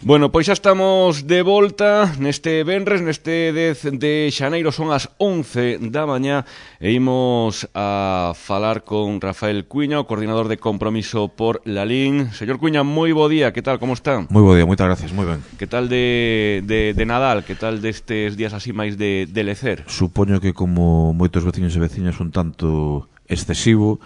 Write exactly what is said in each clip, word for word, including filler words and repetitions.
Bueno, pois xa estamos de volta neste venres, neste dez de xaneiro, son as once da mañá e imos a falar con Rafael Cuña, o coordinador de Compromiso por Lalín. Señor Cuña, moi bo día, que tal, como está? Moi bo día, moitas gracias, moi ben. Que tal de, de, de Nadal, que tal destes días así máis de, de lecer? Supoño que como moitos veciños e veciñas un tanto excesivo.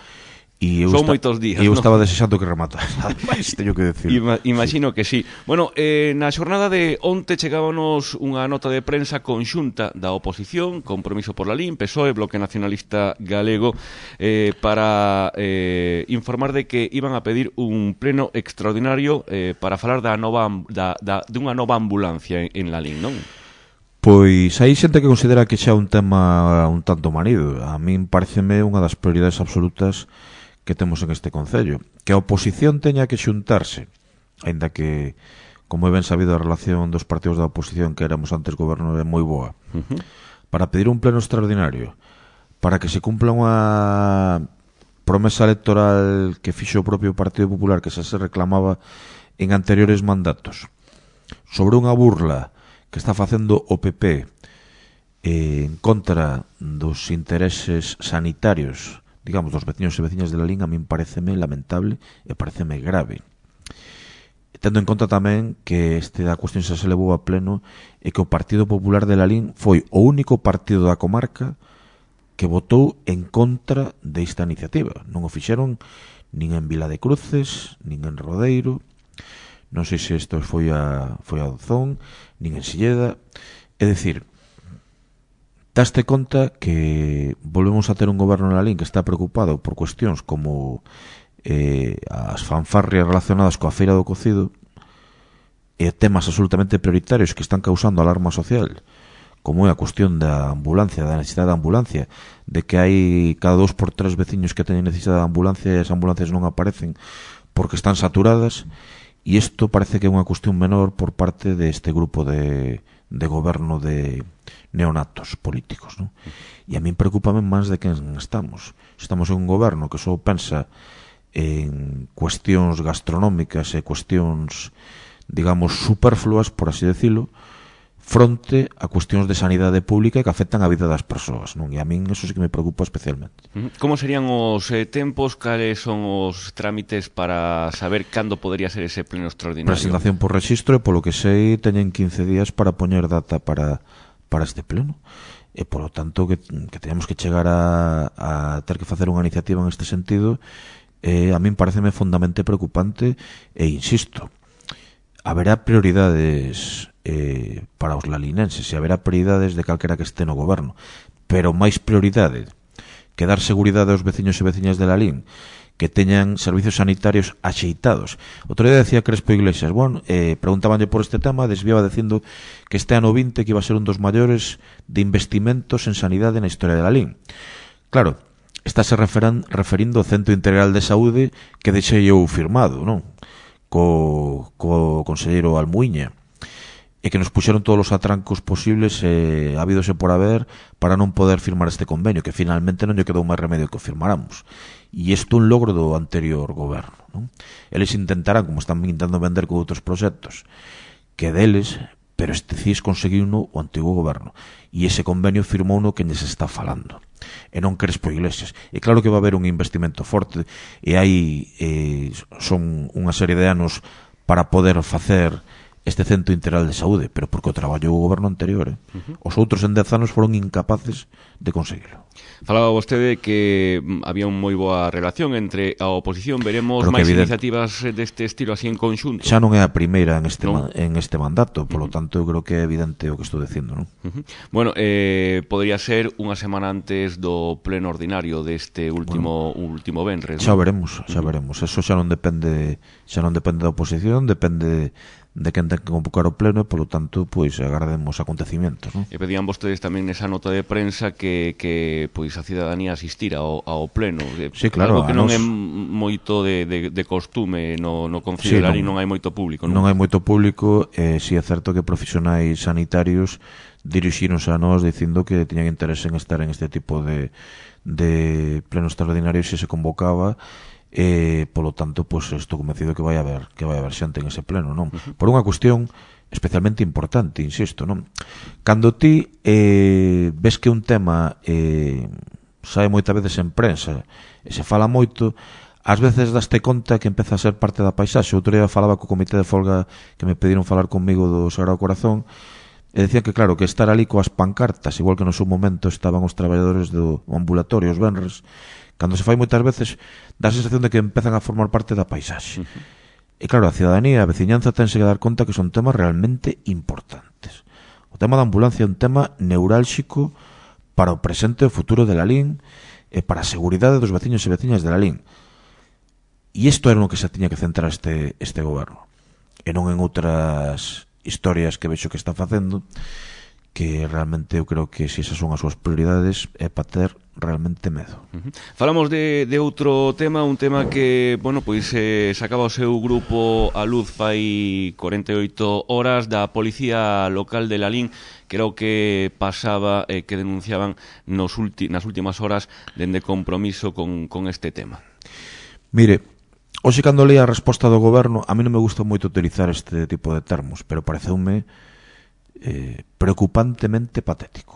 E eu Son esta, moitos días, eu ¿no? estaba desexando que rematara. Ademais, teño que decir. Ima, imagino sí. que sí. Bueno, eh, na xornada de onte chegábanos unha nota de prensa conxunta da oposición, Compromiso por Lalín, P S O E, Bloque Nacionalista Galego, eh, para eh, informar de que iban a pedir un pleno extraordinario eh, para falar da nova da, da, dunha nova ambulancia en, en Lalín, non? Pois hai xente que considera que xa é un tema un tanto manido. A min pareceme unha das prioridades absolutas que temos en este concello, que a oposición teña que xuntarse, aínda que, como é ben sabido, a relación dos partidos da oposición que éramos antes goberno é moi boa, uh-huh. para pedir un pleno extraordinario, para que se cumpla unha promesa electoral que fixo o propio Partido Popular, que xa se reclamaba en anteriores mandatos, sobre unha burla que está facendo o P P eh, en contra dos intereses sanitarios, digamos, dos veciños e veciñas de Lalín. A min pareceme lamentable e pareceme grave. Tendo en conta tamén que este da cuestión xa se levou a pleno e que o Partido Popular de Lalín foi o único partido da comarca que votou en contra desta iniciativa. Non o fixeron nin en Vila de Cruces, nin en Rodeiro, non sei se isto foi a, foi a Dozón, nin en Silleda. É dicir, daste conta que volvemos a ter un goberno en Lalín que está preocupado por cuestións como eh, as fanfarrias relacionadas coa feira do cocido e temas absolutamente prioritarios que están causando alarma social, como é a cuestión da ambulancia, da necesidade da ambulancia, de que hai cada dos por tres veciños que teñen necesidade da ambulancia e as ambulancias non aparecen porque están saturadas. E isto parece que é unha cuestión menor por parte deste grupo de, de goberno de neonatos políticos, non? E a min preocupame máis de que estamos. Estamos en un goberno que só pensa en cuestións gastronómicas e cuestións, digamos, superfluas, por así decirlo, fronte a cuestións de sanidade pública que afectan a vida das persoas, non? E a min eso sí que me preocupa especialmente. Como serían os eh, tempos, cales son os trámites para saber cando podría ser ese pleno extraordinario? Presentación por rexistro e, polo que sei, teñen quince días para poñer data para, para este pleno. E, polo tanto, que, que teñamos que chegar a, a ter que facer unha iniciativa en este sentido, eh, a min pareceme fundamentalmente preocupante e, insisto, haberá prioridades eh, para os lalinenses e haberá prioridades de calquera que este no goberno, pero máis prioridade que dar seguridade aos veciños e veciñas de Lalín, que teñan servicios sanitarios axeitados. Outro día decía Crespo Iglesias, bueno, eh, preguntabanlle por este tema, desviaba dicindo que este ano vinte que iba a ser un dos maiores de investimentos en sanidade na historia de Lalín. Claro, estáse referan, referindo ao Centro Integral de Saúde que deixei eu firmado, non? Co, co conselleiro Almuíña, e que nos puxeron todos os atrancos posibles eh, habidos e por haber para non poder firmar este convenio, que finalmente non lle quedou máis remedio que o firmáramos. E isto é un logro do anterior goberno, non? Eles intentarán, como están intentando vender con outros proxectos, que deles, pero este C I S conseguiu no o antigo goberno, e ese convenio firmou no que lles está falando, e non Crespo Iglesias. E claro que va a haber un investimento forte, e hai eh, son unha serie de anos para poder facer este Centro Integral de Saúde, pero porque o traballou o goberno anterior, eh? Uh-huh. Os outros en dez anos foron incapaces de conseguilo. Falaba vostede que había unha moi boa relación entre a oposición. Veremos máis iniciativas deste estilo así en conxunto? Xa non é a primeira en este, ¿no? man, en este mandato, polo uh-huh. tanto eu creo que é evidente o que estou dicindo, non? Uh-huh. Bueno, eh, podría ser unha semana antes do pleno ordinario deste último bueno, último venres, xa ¿no? veremos, xa uh-huh. veremos. Eso xa non depende, xa non depende da oposición, depende de quen ten que convocar o pleno e, polo tanto, pois agardemos acontecimientos, non? E pedían vostedes tamén nesa nota de prensa que, que pois a cidadanía asistira ao, ao pleno. Sí, claro. Algo que non nos... é moito de, de, de costume no, no Concello de Lalín, non hai moito público, non? Non hai moito público, e si é certo que profesionais sanitarios dirixíronse a nós dicindo que tiñan interese en estar en este tipo de, de pleno extraordinario se se convocaba, e polo tanto, pois estou convencido que vai haber que vai haber xente en ese pleno, non? Uh-huh. Por unha cuestión especialmente importante, insisto, non? Cando ti eh, ves que un tema eh, sae moitas veces en prensa e se fala moito, ás veces daste conta que empeza a ser parte da paisaxe. Outro día falaba co comité de folga que me pediron falar comigo do Sagrado Corazón e decían que, claro, que estar ali coas pancartas, igual que no seu momento estaban os traballadores do ambulatorio, os venres, cando se fai moitas veces dá a sensación de que empezan a formar parte da paisaxe. Uh-huh. E claro, a cidadanía, a veciñanza tense que dar conta que son temas realmente importantes. O tema da ambulancia é un tema neurálxico para o presente e o futuro de Lalín e para a seguridade dos veciños e veciñas de Lalín. E isto era no que se tiña que centrar este, este goberno. E non en outras historias que vexo que está facendo, que realmente eu creo que se esas son as súas prioridades é para ter realmente medo. Uh-huh. Falamos de, de outro tema, un tema que, bueno, pois eh, sacaba o seu grupo a luz fai corenta e oito horas da Policía Local de Lalín, que era o que pasaba, eh, que denunciaban nos ulti, nas últimas horas dende compromiso con, con este tema. Mire, hoxe cando leí a resposta do goberno, a mí non me gusta moito utilizar este tipo de termos, pero pareceume eh, preocupantemente patético.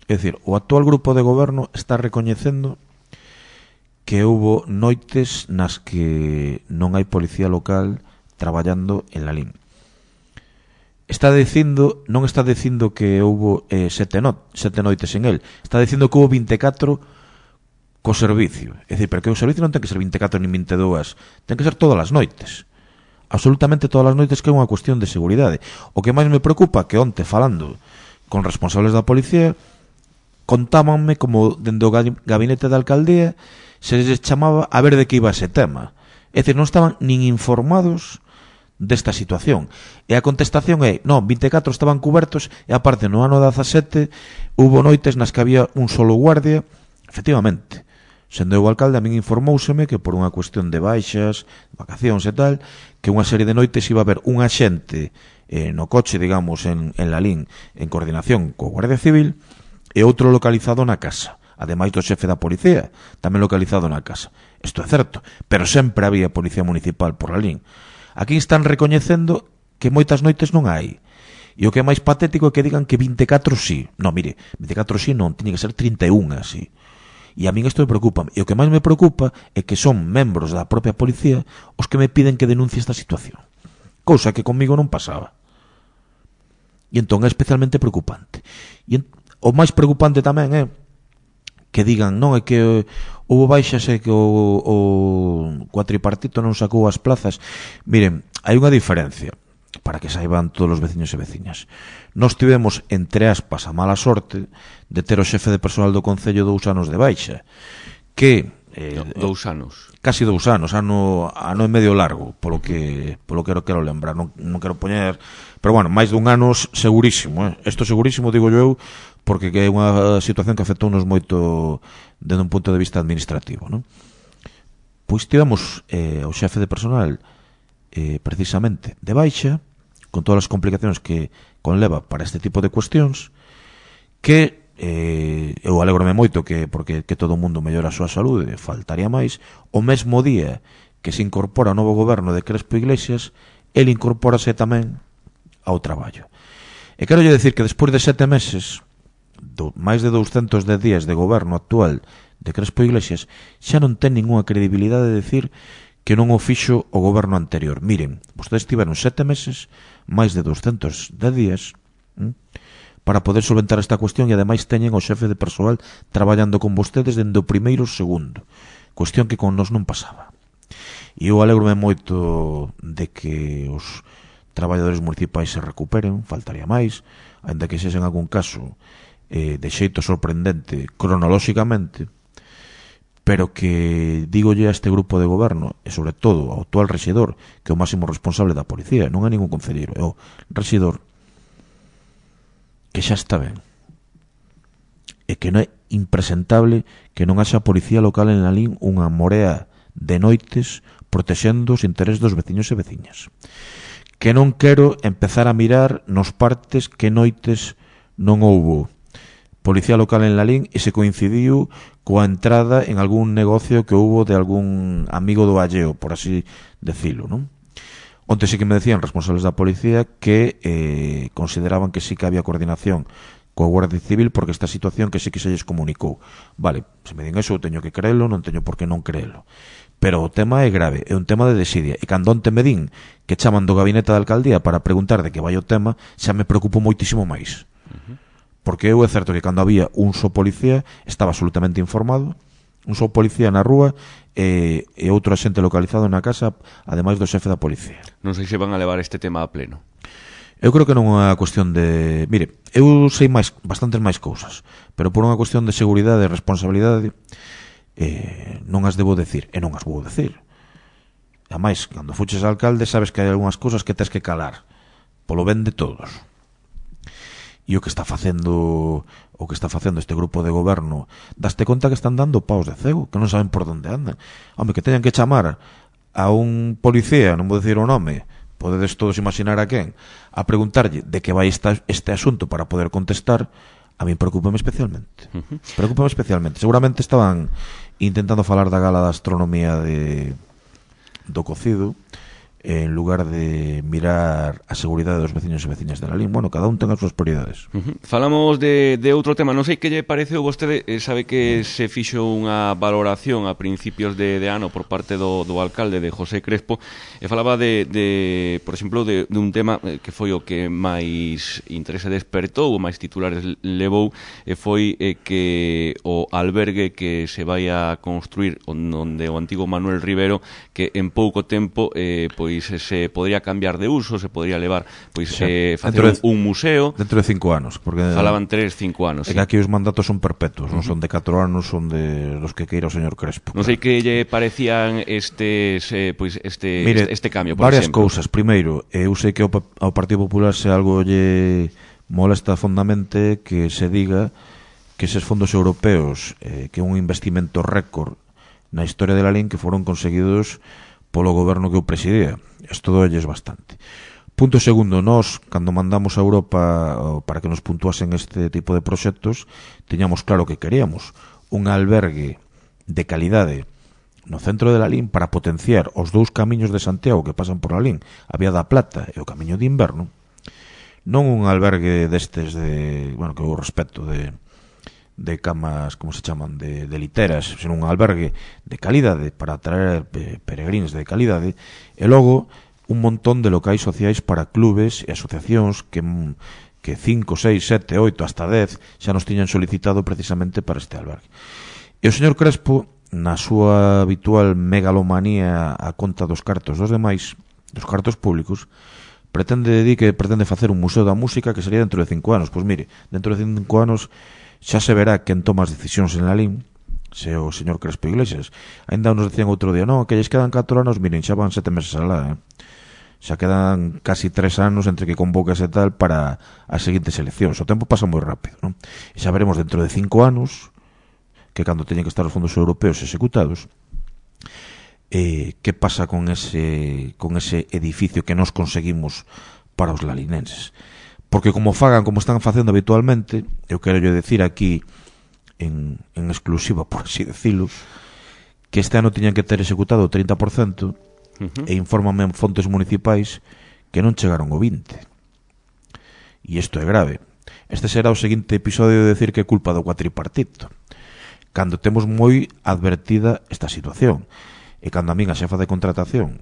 É dicir, o actual grupo de goberno está recoñecendo que houbo noites nas que non hai policía local traballando en Lalín. Está dicindo, non está dicindo que houbo eh, sete, no, sete noites en el, está dicindo que houbo vinte e catro co servicio. É dicir, porque o servicio non ten que ser vinte e catro nin vinte e dúas, ten que ser todas as noites. Absolutamente todas as noites, que é unha cuestión de seguridade. O que máis me preocupa que onte, falando con responsables da policía, contábanme como dende o gabinete da alcaldía se les chamaba a ver de que iba ese tema. É dicir, non estaban nin informados desta situación. E a contestación é, non, vinte e catro estaban cubertos e aparte no ano dezasete hubo noites nas que había un solo guardia. Efectivamente, sendo eu o alcalde, a min informouseme que por unha cuestión de baixas, vacacións e tal, que unha serie de noites iba a haber un axente eh, no coche, digamos, en, en Lalín, en coordinación co Guardia Civil, e outro localizado na casa, ademais do xefe da policía, tamén localizado na casa. Isto é certo, pero sempre había policía municipal por Lalín. Aquí están recoñecendo que moitas noites non hai. E o que é máis patético é que digan que vinte e catro sí. Non, mire, vinte e catro sí non, tiña que ser trinta e un así. E a min isto me preocupa. E o que máis me preocupa é que son membros da propia policía os que me piden que denuncie esta situación. Cousa que conmigo non pasaba. E entón é especialmente preocupante. E entón, o máis preocupante tamén é que digan, non, é que houve baixas e que o, o cuatripartito non sacou as plazas. Miren, hai unha diferencia para que saiban todos os veciños e veciñas. Nós tivemos, entre aspas, a mala sorte de ter o xefe de persoal do Concello dous anos de baixa, que eh, dous anos. Casi dous anos, ano, ano e medio largo, polo que polo que quero lembrar, non, non quero poñer, pero bueno, máis dun ano segurísimo, eh? Isto segurísimo, digo eu, porque é unha situación que afectounos moito desde un punto de vista administrativo, non? Pois tivemos eh, o xefe de personal eh, precisamente de baixa, con todas as complicacións que conleva para este tipo de cuestións, que eh, eu alégrome moito que porque que todo o mundo mellora a súa saúde, faltaría máis. O mesmo día que se incorpora o novo goberno de Crespo Iglesias, el incorpórase tamén ao traballo. E quero lle decir que despois de sete meses, do, máis de douscentos dez días de goberno actual de Crespo Iglesias, xa non ten ninguna credibilidade de decir que non o fixo o goberno anterior. Miren, vostedes tiveron sete meses, máis de douscentos dez días, ¿eh? para poder solventar esta cuestión, e ademais teñen o xefe de persoal traballando con vostedes dende o primeiro segundo, cuestión que con nós non pasaba. E eu alegrome moito de que os traballadores municipais se recuperen, faltaría máis, ainda que sexa en algún caso eh, de xeito sorprendente cronolóxicamente, pero que dígolle a este grupo de goberno, e sobre todo ao actual rexedor, que é o máximo responsable da policía, non é ningún concelleiro, é o rexedor, que xa está ben, e que non é impresentable que non haxa policía local en Lalín unha morea de noites protexendo os intereses dos veciños e veciñas. Que non quero empezar a mirar nos partes que noites non houbo policía local en Lalín e se coincidiu coa entrada en algún negocio que houbo de algún amigo do alleo, por así decirlo, non? Onte sí que me decían responsables da policía que eh, consideraban que sí que había coordinación coa Guardia Civil porque esta situación que sí que se lles comunicou. Vale, se me din eso, eu teño que creelo, non teño por que non creelo. Pero o tema é grave, é un tema de desidia. E cando onte me din que chaman do gabinete da alcaldía para preguntar de que vai o tema, xa me preocupo moitísimo máis. Uh-huh. Porque eu é certo que cando había un só policía estaba absolutamente informado, un só policía na rúa e, e outro axente localizado na casa, ademais do xefe da policía. Non sei se van a levar este tema a pleno. Eu creo que non é unha cuestión de... Mire, eu sei máis, bastantes máis cousas, pero por unha cuestión de seguridade e responsabilidade eh, non as debo decir, e non as vou decir. Ademais, cando fuches alcalde sabes que hai algunhas cousas que tes que calar polo ben de todos. E o que está facendo o que está facendo este grupo de goberno, daste conta que están dando paus de cego, que non saben por onde andan. Home, que teñan que chamar a un policía, non vou dicir o nome, podedes todos imaginar a quen, a preguntarlle de que vai esta, este asunto para poder contestar, a mí preocúpame especialmente. Uh-huh. Preocúpame especialmente. Seguramente estaban intentando falar da gala da astronomía de do cocido, en lugar de mirar a seguridade dos veciños e veciñas de Lalín. Bueno, cada un ten as súas prioridades. Uh-huh. Falamos de, de outro tema. Non sei que lle pareceu vostede, eh, sabe que se fixo unha valoración a principios de, de ano por parte do, do alcalde de José Crespo, e falaba de, de por exemplo, de, de un tema que foi o que máis interese despertou, o máis titulares levou, e foi eh, que o albergue que se vai a construir onde o antigo Manuel Rivero, que en pouco tempo eh, pois se podría cambiar de uso, se podría levar, pois sí, eh, facer de, un, un museo dentro de cinco anos, porque falaban tres, cinco anos. É sí. Que aquí os mandatos son perpetuos, uh-huh. Non son de catro anos, son de los que queira o señor Crespo. Non sei que lle parecían estes eh, pois este Mire, este, este cambio, por varias exemplo. cousas. Primeiro, eu sei que ao, ao Partido Popular se algo lle molesta fondamente que se diga que eses fondos europeos, eh, que é un investimento récord na historia de Lalín, que foron conseguidos polo goberno que eu presidía. Isto doelles bastante. Punto segundo, nós, cando mandamos a Europa para que nos puntuasen este tipo de proxectos, tiñamos claro que queríamos un albergue de calidade no centro de Lalín para potenciar os dous camiños de Santiago que pasan por Lalín, a Vía da Plata e o camiño de inverno. Non un albergue destes de, bueno, que eu respeto, de de camas, como se chaman, de, de literas, sino un albergue de calidade para atraer peregrinos de calidade, e logo un montón de locais sociais para clubes e asociacións que que cinco, seis, sete, oito, hasta dez xa nos tiñan solicitado precisamente para este albergue. E o señor Crespo, na súa habitual megalomanía a conta dos cartos dos demais, dos cartos públicos, pretende di que pretende facer un museo da música que sería dentro de cinco anos. Pois mire, dentro de cinco anos xa se verá quen toma as decisións en Lalín, se o señor Crespo Iglesias. Ainda nos decían outro día, non, que lles quedan catro anos, miren, xa van sete meses alá, eh? Xa quedan casi tres anos entre que convocas e tal para as seguintes eleccións. O tempo pasa moi rápido, non? E xa veremos dentro de cinco anos, que cando teñen que estar os fondos europeos executados, eh, que pasa con ese, con ese edificio que nos conseguimos para os lalinenses. Porque como fagan, como están facendo habitualmente, eu quero yo decir aquí en, en exclusiva, por así decirlo, que este ano tiñan que ter executado o trinta por cento, uh-huh. E infórmame en fontes municipais que non chegaron o vinte. E isto é grave. Este será o seguinte episodio de decir que é culpa do cuatripartito, cando temos moi advertida esta situación. E cando a min a xefa de contratación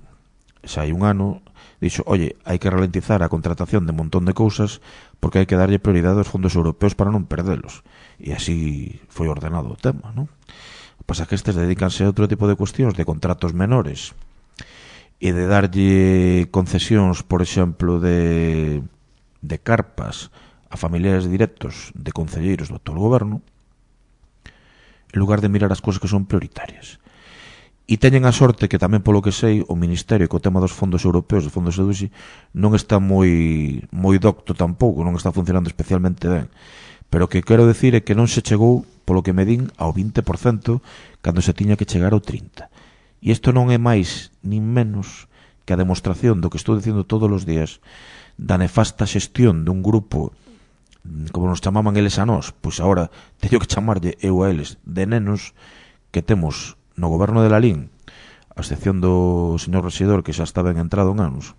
xa hai un ano dixo, oye, hai que ralentizar a contratación de un montón de cousas porque hai que darlle prioridade aos fondos europeos para non perdelos. E así foi ordenado o tema, non? O que pasa é que estes dedícanse a outro tipo de cuestións, de contratos menores, e de darlle concesións, por exemplo, de, de carpas a familiares directos de concelleiros do actual goberno, en lugar de mirar as cousas que son prioritarias. E teñen a sorte que tamén, polo que sei, o Ministerio, co tema dos fondos europeos, dos fondos E D U S I, non está moi moi docto tampouco, non está funcionando especialmente ben. Pero o que quero decir é que non se chegou, polo que me din, ao vinte por cento cando se tiña que chegar ao trinta por cento. E isto non é máis nin menos que a demostración do que estou dicindo todos os días da nefasta xestión dun grupo como nos chamaban eles a nós, pois agora teño que chamarlle eu a eles de nenos que temos no goberno de Lalín, a excepción do señor Rexedor, que xa está ben entrado en anos,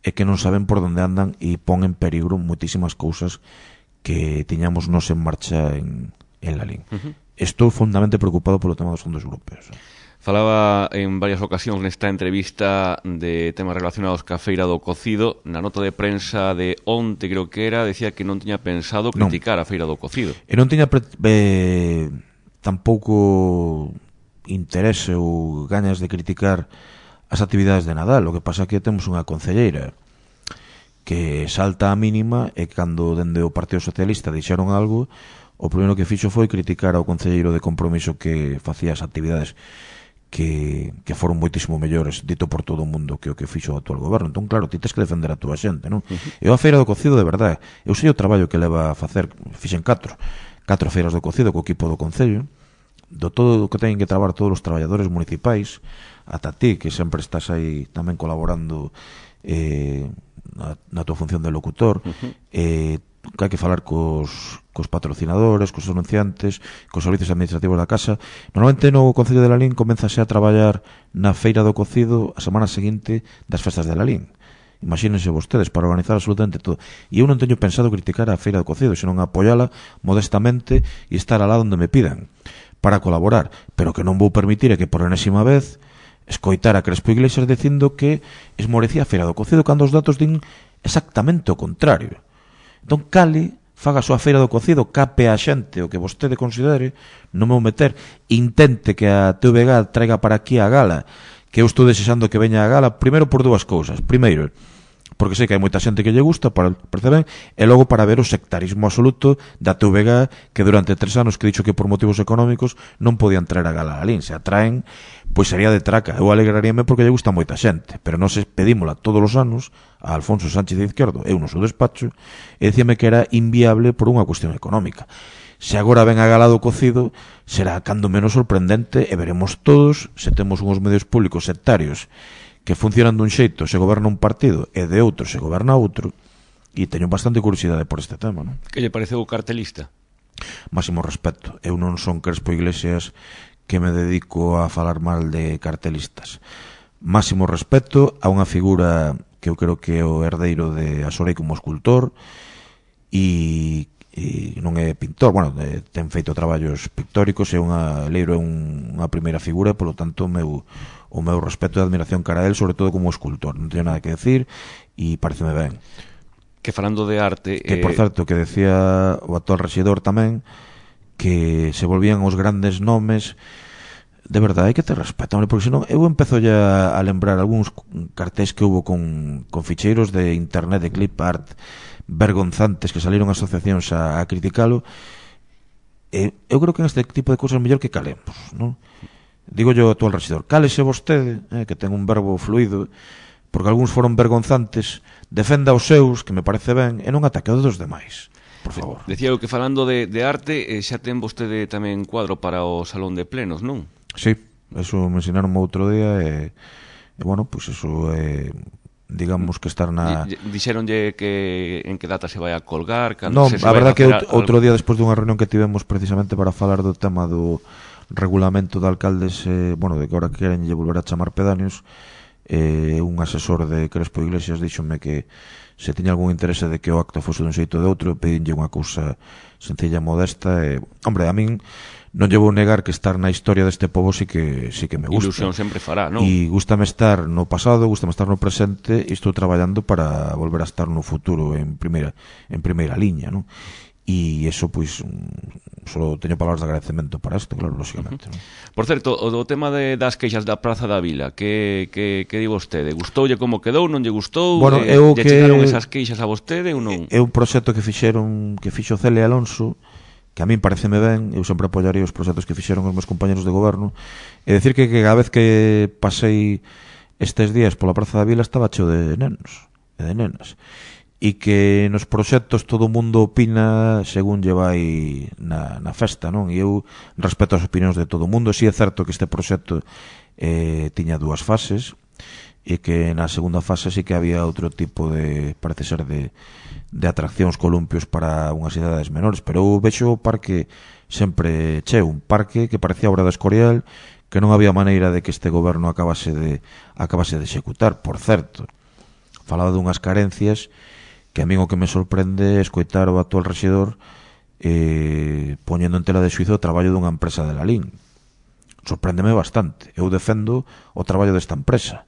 e que non saben por onde andan e pon en peligro moitísimas cousas que tiñamos nos en marcha en, en Lalín. Uh-huh. Estou fondamente preocupado polo tema dos fondos europeos. Falaba en varias ocasións nesta entrevista de temas relacionados ca Feira do Cocido. Na nota de prensa de onte, creo que era, decía que non tiña pensado criticar non. a Feira do Cocido. E non tiña pre- eh, tampouco interese ou gañas de criticar as actividades de Nadal. O que pasa é que temos unha concelleira que salta a mínima e cando dende o Partido Socialista dixeron algo, o primeiro que fixo foi criticar ao concelleiro de Compromiso que facía as actividades que, que foron moitísimo mellores, dito por todo o mundo, que o que fixo o actual goberno. Entón, claro, ti tes que defender a túa xente, non? Uh-huh. Eu a Feira do Cocido, de verdade, eu sei o traballo que leva a facer, fixen catro, catro feiras do Cocido co equipo do Concello, do todo o que teñen que traballar todos os traballadores municipais, ata ti, que sempre estás aí tamén colaborando eh, na, na tua función de locutor, uh-huh. eh, que hai que falar cos, cos patrocinadores, cos anunciantes, cos servicios administrativos da casa. Normalmente no Concello de Lalín comenzase a traballar na Feira do Cocido a semana seguinte das festas de Lalín. Imagínense vostedes, para organizar absolutamente todo. E eu non teño pensado criticar a Feira do Cocido, senón apoiala modestamente e estar alá onde me pidan para colaborar, pero que non vou permitir é que por enésima vez escoitar a Crespo Iglesias dicindo que esmorecía a Feira do Cocido cando os datos din exactamente o contrario. Entón, cale, faga a súa Feira do Cocido, cape a xente o que vostede considere, non me vou meter, intente que a T V G traiga para aquí a gala, que eu estou desexando que veña a gala, primeiro por dúas cousas. Primeiro, porque sei que hai moita xente que lle gusta, para, parece ben, e logo para ver o sectarismo absoluto da T V G, que durante tres anos que dixo que por motivos económicos non podían traer a gala a Lalín. Se a traen, pois sería de traca. Eu alegraríame porque lle gusta moita xente, pero non se pedímola todos os anos a Alfonso Sánchez de Izquierdo, eu no seu despacho, e dicíame que era inviable por unha cuestión económica. Se agora ven a gala do Cocido, será cando menos sorprendente, e veremos todos se temos uns medios públicos sectarios que funcionan dun xeito se goberna un partido e de outro se goberna outro, e teño bastante curiosidade por este tema, non? Que lle pareceu o cartelista? Máximo respeto. Eu non son Crespo Iglesias que me dedico a falar mal de cartelistas. Máximo respeto a unha figura que eu creo que é o herdeiro de Asorei como escultor e, e non é pintor, bueno, de, ten feito traballos pictóricos, é unha Leiro é un, unha primeira figura, polo tanto o meu o meu respeto e admiración cara a él, sobre todo como escultor. Non teño nada que decir e pareceme ben. Que falando de arte... Que, por eh... certo, que decía o actual rexedor tamén, que se volvían os grandes nomes. De verdade, hai que ter respeto, porque senón eu empezo ya a lembrar algúns cartéis que hubo con, con ficheiros de internet, de clip art, vergonzantes, que salieron asociacións a, a criticalo. E eu creo que en este tipo de cousas mellor que calemos, non? Digo yo ao actual rexedor, cálese vostede, eh, que ten un verbo fluido, porque algúns foron vergonzantes, defenda os seus, que me parece ben, e non ataque aos dos demais, por favor. Decía eu que falando de, de arte, eh, xa ten vostede tamén cuadro para o Salón de Plenos, non? Sí, eso me ensinaron outro día e, e bueno, pois pues eso é, eh, digamos que estar na... Dixeronlle que en que data se vai a colgar, cando no, se, se a verdad que outro, outro día despois dunha reunión que tivemos precisamente para falar do tema do regulamento de alcaldes, eh, bueno, de que ahora queren lle volver a chamar pedáneos, eh, un asesor de Crespo Iglesias díxome que se tiña algún interese de que o acto fose dun xeito de outro, pedinlle unha cousa sencilla, modesta, e, hombre, a min non lle vou negar que estar na historia deste pobo sí que sí que me gusta. Ilusión sempre fará, non? E gústame estar no pasado, gústame estar no presente, e estou traballando para volver a estar no futuro en primeira en primeira liña, non? E iso, pois, só teño palabras de agradecemento para isto, claro, lógicamente. Uh-huh. Por certo, o do tema de, das queixas da Praza da Vila, que, que, que di vostede? Gustoulle como quedou, non lle gustou? Bueno, eh, eu lle que... chegaron esas queixas a vostede ou non? É un proxecto que fixeron, que fixo Cele Alonso, que a min pareceme ben, eu sempre apoiaría os proxectos que fixeron os meus compañeros de goberno, e decir que, que cada vez que pasei estes días pola Praza da Vila estaba cheo de nenos e de nenas, e que nos proxectos todo o mundo opina según lle vai na, na festa, non? E eu respeto as opinións de todo o mundo. Si é certo que este proxecto eh, tiña dúas fases, e que na segunda fase sí que había outro tipo de, parece ser, de, de atraccións, columpios para unhas idades menores, pero eu vexo o parque sempre cheo, un parque que parecía obra de Escorial, que non había maneira de que este goberno acabase de acabase de executar. Por certo, falaba dunhas carencias que a min o que me sorprende é escoitar o actual rexedor eh, poñendo en tela de xuizo o traballo dunha empresa de Lalín. Sorpréndeme bastante. Eu defendo o traballo desta empresa.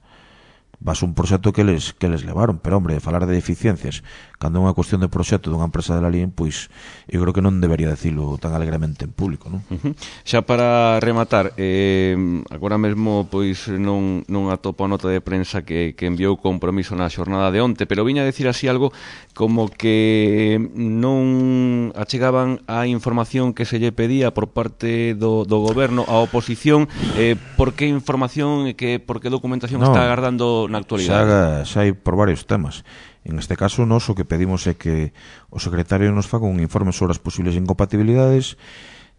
Vas un proxecto que les, que les levaron, pero, hombre, falar de deficiencias cando é unha cuestión de proxecto dunha empresa de Lalín, pois eu creo que non debería decilo tan alegremente en público, non? Uh-huh. Xa para rematar, eh, agora mesmo pois non, non atopo a nota de prensa que, que enviou Compromiso na xornada de onte, pero viña a decir así algo como que non achegaban a información que se lle pedía por parte do, do goberno á oposición. Eh, por que información e que, por que documentación no. está agardando na actualidade? Xa, xa hai por varios temas. En este caso, nós o que pedimos é que o secretario nos faga un informe sobre as posibles incompatibilidades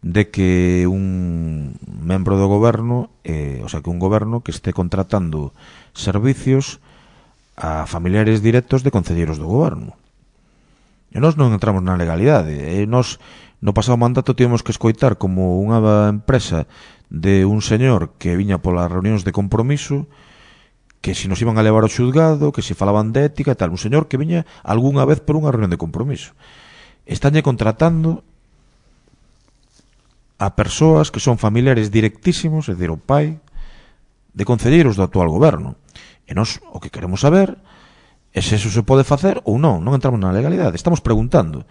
de que un membro do goberno, eh, o sea, que un goberno que este contratando servicios a familiares directos de concelleiros do goberno. E nós non entramos na legalidade. E nós, no pasado mandato, tivemos que escoitar como unha empresa de un señor que viña polas reunións de Compromiso, que si nos iban a levar ao xulgado, que si falaban de ética e tal, un señor que viña algunha vez por unha reunión de Compromiso. Estánlle contratando a persoas que son familiares directísimos, é dicir, o pai de concelleiros do actual goberno. E nós o que queremos saber é se eso se pode facer ou non. Non entramos na legalidade, estamos preguntando.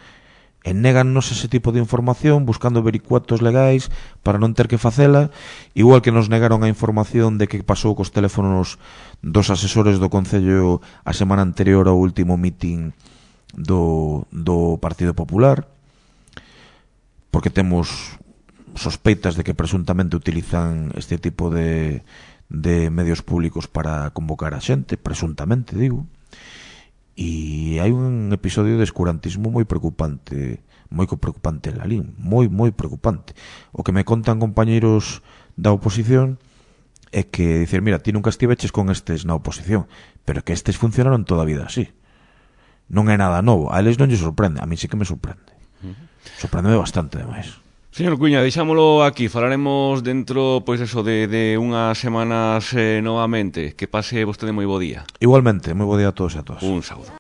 E négannos ese tipo de información buscando vericuetos legais para non ter que facela, igual que nos negaron a información de que pasou cos teléfonos dos asesores do Concello a semana anterior ao último meeting do, do Partido Popular, porque temos sospeitas de que presuntamente utilizan este tipo de, de medios públicos para convocar a xente, presuntamente, digo. E hai un episodio de escurantismo moi preocupante, moi preocupante en Lalín, moi, moi preocupante. O que me contan compañeiros da oposición é que dicir, mira, ti nunca estiveches con estes na oposición, pero que estes funcionaron toda a vida así. Non é nada novo, a eles non lle sorprende, a mí sí que me sorprende. Sorprendeme bastante, demais. Señor Cuña, deixámolo aquí, falaremos dentro, pois eso, de, de unhas semanas eh, novamente. Que pase vostede moi bo día. Igualmente, moi bo día a todos e a todas. Un saúdo.